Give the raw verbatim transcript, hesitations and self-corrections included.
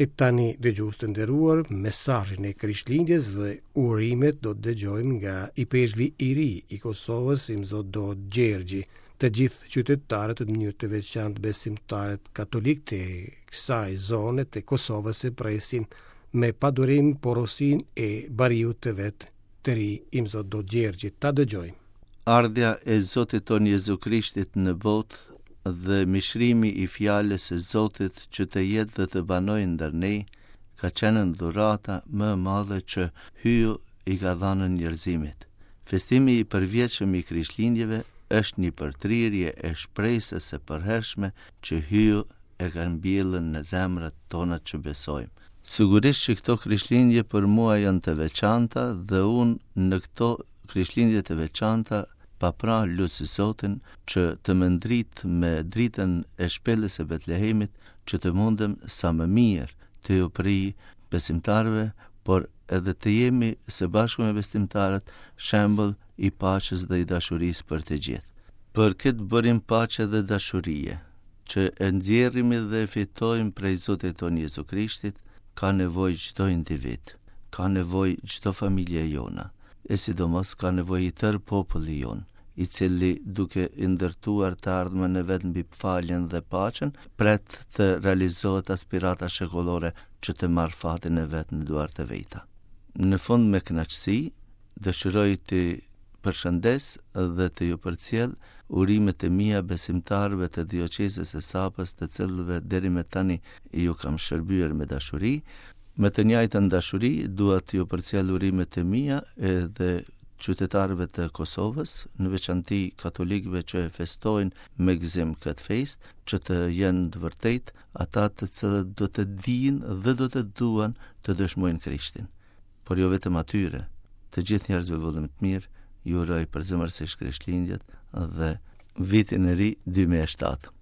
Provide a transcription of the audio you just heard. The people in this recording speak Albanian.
E tani, dëgjues të nderuar, mesazhin e Krishtlindjes dhe urimet do të dëgjojmë nga ipeshkvi i ri i Kosovës, Imzot Dodë Gjergji. Të gjithë qytetarët, në mënyrë të veçantë besimtarët katolikë të kësaj zone të Kosovës, e presin me padurim porosinë e bariut të vet të ri, Imzot Dodë Gjergji. Ta dëgjojmë. Ardhja e Zotit tonë Jezu Krishtit në botë dhe mishrimi i fjalës së Zotit që të jetë dhe të banojë ndër ne, ka qenë dhurata më e madhe që Hyju i ka dhënë njerëzimit. Festimi i përvjetshëm i Krishtlindjeve është një përtrirje e shpresës së përhershme që Hyju e ka mbjellë në zemrat tona që besojmë. Sigurisht që këto Krishtlindje për mua janë të veçanta dhe unë në këto Krishtlindje të veçanta pa pra lus Zotin që të më ndrit me dritën e shpellës së Betlehemit, që të mundem sa më mirë të ju prij besimtarëve, por edhe të jemi së bashku me besimtarët shembull i paqes dhe i dashurisë për të gjithë. Për këtë burim paqe dhe dashurie, që e nxjerrim dhe e fitojmë prej Zotit tonë Jezu Krishtit, ka nevojë çdo individ, ka nevojë çdo familje jona, e sidomos ka nevojë i tërë populli jonë, i cili duke i ndërtuar të ardhmen e vet mbi faljen dhe paqen, pret të realizohet aspirata shekullore që të marrë fatin e vet në duart e veta. Në fund, me kënaqësi, dëshiroj të përshëndes dhe të ju përcjell urimet e mia besimtarëve të dioqezës së Sapës, të cilëve deri më tani ju kam shërbyer me dashuri. Me të njëjtën dashuri dua të ju përcjell urimet e mia edhe qytetarëve të Kosovës, në veçanti katolikëve që e festojnë me gëzim këtë fest, që të jenë të vërtet ata të cilët do të dinë dhe do të duan të dëshmojnë Krishtin. Por jo vetëm atyre, të gjithë njerëzve vëllëm të mirë, ju uroj përzemërsisht Krishtlindjet dhe vitin e ri dy mijë e shtatë.